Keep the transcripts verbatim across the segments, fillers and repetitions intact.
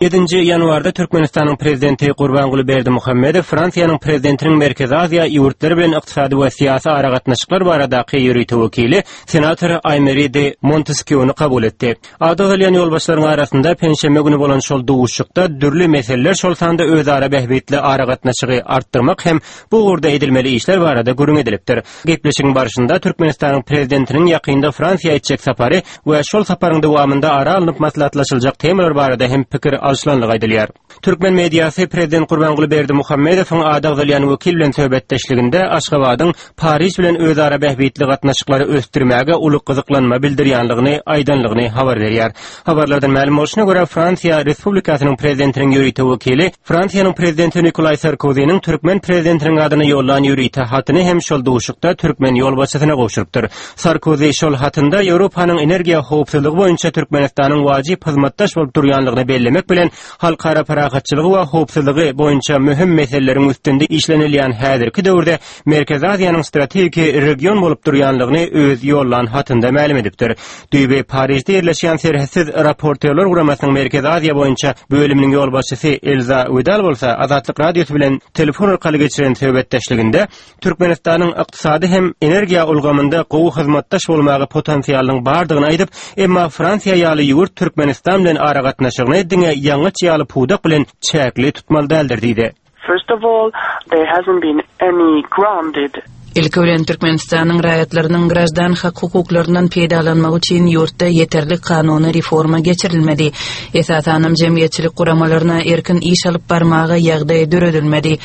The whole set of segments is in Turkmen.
Ýedinji ýanwarda Türkmenistanyň Prezidenti Gurbanguly Berdimuhamedow Fransiýanyň Prezidentiniň Merkezi Aziýa ýurtlary bilen ykdysady we syýasy aragatnaşyklar baradaky ýörite wekili, senator Aýmeri de Monteskýuny kabul etdi. Ady agzalýan ýolbaşçylaryň arasynda penşenbe güni bolan şol duşuşykda dürli meseleler, şol sanda özara bähbitli aragatnaşygy artdyrmak hem bu ugurda edilmeli işler barada gürrüň edilipdir. Gepleşigiň barşynda Türkmenistanyň Prezidentiniň ýakynda Fransiýa etjek sapary we şol saparyň dowamynda ara alnyp maslahatlaşyljak temalar barada hem pikir alşylandygy aýdylýar. Türkmen mediasy Prezident Gurbanguly Berdimuhamedowyň ady agzalýan wekil bilen söhbetdeşliginde Aşgabadyň Pariž bilen özara bähbitli gatnaşyklary ösdürmäge uly gyzyklanma bildirýänligini aýdanlygyny habar berýär. Habarlardan mälim bolşuna görä, Fransiýa Respublikasynyň Prezidentiniň ýörite wekili Fransiýanyň Prezidenti Nikolaý Sarkoziniň türkmen Prezidentiniň adyna ýollan ýörite hatyny hem şol duşuşykda türkmen ýolbaşçysyna gowşurypdyr. Sarkozi şol hatynda Ýewropanyň energiýa howpsuzlygy boýunça Türkmenistanyň wajyp hyzmatdaş bolup durýanlygyny bellemek bilen, halkara parahatçylygy we howpsuzlygy boýunça möhüm meseleleriň üstünde işlenilýän häzirki döwürde Merkezi Aziýanyň strategiki region bolup durýanlygyny öz ýollan hatynda mälim edipdir. Düýbi Parižde ýerleşýän Serhetsiz raportýorlar guramasynyň Merkezi Aziýa boýunça bölüminiň ýolbaşçysy Elza Widal bolsa Azatlyk Radiosy bilen telefon arkaly geçiren söhbetdeşliginde Türkmenistanyň ykdysady hem energiýa ulgamynda gowy hyzmatdaş bolmaga potensialynyň bardygyny aýdyp, emma Fransiýa ýaly ýurt Türkmenistan bilen aragatnaşygyny diňe ýangyç ýaly pudak bilen çäkli tutmaly däldir diýdi. First of all, there hasn't been any grounded Ilki bilen Türkmenistanyň raýatlarynyň graždan hak-hukuklaryndan peýdalanmagy üçin ýurtda ýeterlik kanuny reforma geçirilmedi. Esasanam jemgyýetçilik guramalaryna erkin iş alyp barmaga ýagdaý döredilmedi.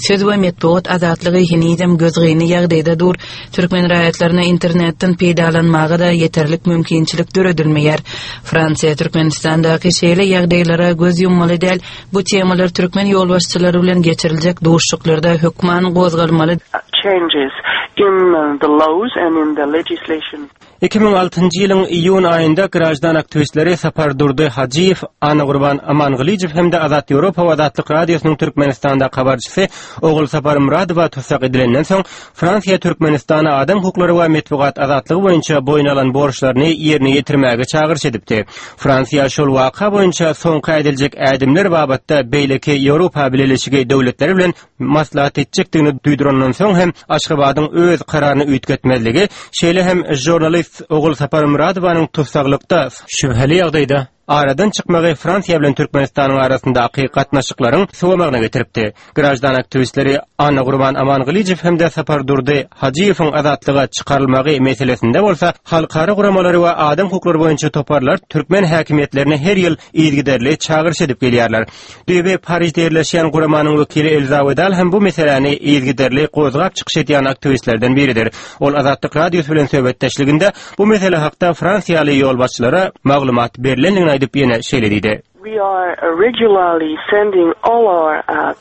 Söz we metbugat azatlygy henizem gözgyny ýagdaýda dur. Türkmen raýatlaryna internetden peýdalanmaga-da ýeterlik mümkinçilik döredilmeýär. Fransiýa Türkmenistandaky şeýle ýagdaýlara göz ýummaly däl. Bu temalar türkmen ýolbaşçylary bilen geçiriljek duşuşyklarda hökman gozgalmaly. Changes in the laws and in the legislation. Iki müň altynjy ýylyň iýun aýynda graždan aktiwistleri Sapardurdy Hajyýew, Annagurban Amangylyjow hem-de Azat Ýewropa we Azatlyk Radiosynyň Türkmenistandaky habarçysy Ogulsapar Myradowa tussag edilenden soň, Fransiýa Türkmenistana adam hukuklary we metbugat azatlygy boýunça boýun alan borçlaryny ýerine ýetirmäge çagyryş edipdi. Fransiýa şol waka boýunça soňky ädiljek ädimler babatda beýleki Ýewropa Bileleşigi döwletleri bilen maslahat etjekdigini duýdurandan soň hem Aşgabadyň öz kararyny üýtgetmezligi, şeýle hem žurnalist Ogulsapar Myradowanyň tussaglykda şübheli ýagdaýda aradan çykmagy Fransiýa bilen Türkmenistanyň arasyndaky gatnaşyklaryň sowamagyna getiripdi. Graždan aktiwistleri Annagurban Amangylyjow hem-de Sapardurdy Hajyýewiň azatlyga çykarylmagy meselesinde bolsa halkara guramalary we adam hukuklary boýunça toparlar türkmen häkimiýetlerine her ýyl yzygiderli çagyryş edip gelýärler. Düýbi Parižde ýerleşýän guramanyň wekili Elza Wedal hem bu meseläni yzygiderli gozgap çykyş edýän aktiwistlerden biridir. Ol Azatlyk Radiosy bilen söhbetdeşliginde bu mesele hakda fransiýaly ýolbaşçylara maglumat berlendigini aýdyp ýene şeýle diýdi. We are regularly sending all our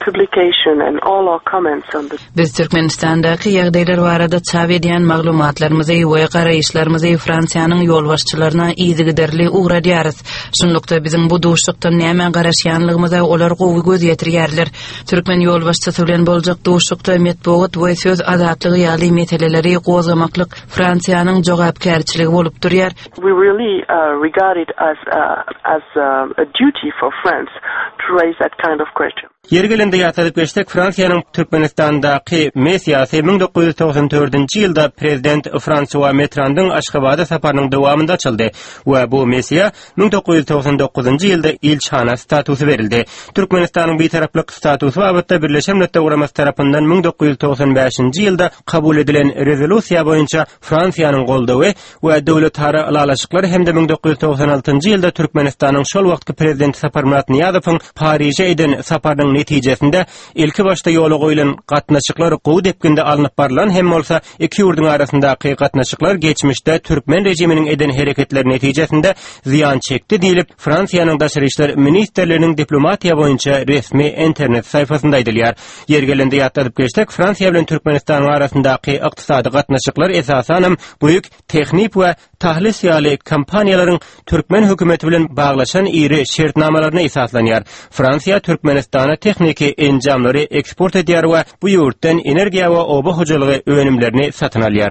publication and all our comments on the. Biz Türkmenistandaky ýagdaýlar barada çap edýän maglumatlarymyzy we garaýyşlarymyzy Fransiýanyň ýolbaşçylaryna yzygiderli ugradýarys. Şunlukda biziň bu duşuşykdan nämä garaşýanlygymyza olar gowy göz ýetirýärler. Türkmen ýolbaşçysy bilen boljak duşuşykda metbugat we söz azatlygy ýaly meseleleri gozgamaklyk Fransiýanyň jogapkärçiligi bolup durýar. We really regard it as as a duty for France to raise that kind of question. Ýeri gelende ýatladyp geçsek, Fransiýanyň Türkmenistandaky missiýasy müň dokuz ýüz togsan dördünji ýylda prezident Fransua Mitterandyň Aşgabada saparynyň dowamynda açyldy we bu missiýa müň dokuz ýüz togsan dokuzynjy ýylda ilçihana statusy berildi. Türkmenistanyň bitaraplyk statusy babatda Birleşen Milletler Guramasy tarapyndan müň dokuz ýüz togsan bäşinji ýylda kabul edilen rezolýusiýa boýunça Fransiýanyň goldawy we döwletara ylalaşyklar hem-de müň dokuz ýüz togsan altynjy ýylda Türkmenistanyň şol wagtky prezidenti Saparmyrat Nyýazowyň Pariže eden saparynyň netijesinde ilkibaşda ýola goýlan gatnaşyklar gowy depginde alnyp barlan hem bolsa, iki ýurduň arasyndaky gatnaşyklar geçmişde türkmen režiminiň eden hereketleri netijesinde zyýan çekdi diýlip, Fransiýanyň Daşary işler ministrliginiň diplomatiýa boýunça resmi internet saýpasynda aýdylýar. Ýeri gelende ýatladyp geçsek, Fransiýa bilen Türkmenistanyň arasyndaky ykdysady gatnaşyklar esasanam Bouygues Technip we Thales ýaly kompaniýalaryň türkmen hökümeti bilen baglaşan iri şertnamalaryna esaslanýar. Fransiýa Türkmenistana tehniki enjamlary eksport edýär we bu ýurtdan energiýa we oba hojalygy önümlerini satyn alýar.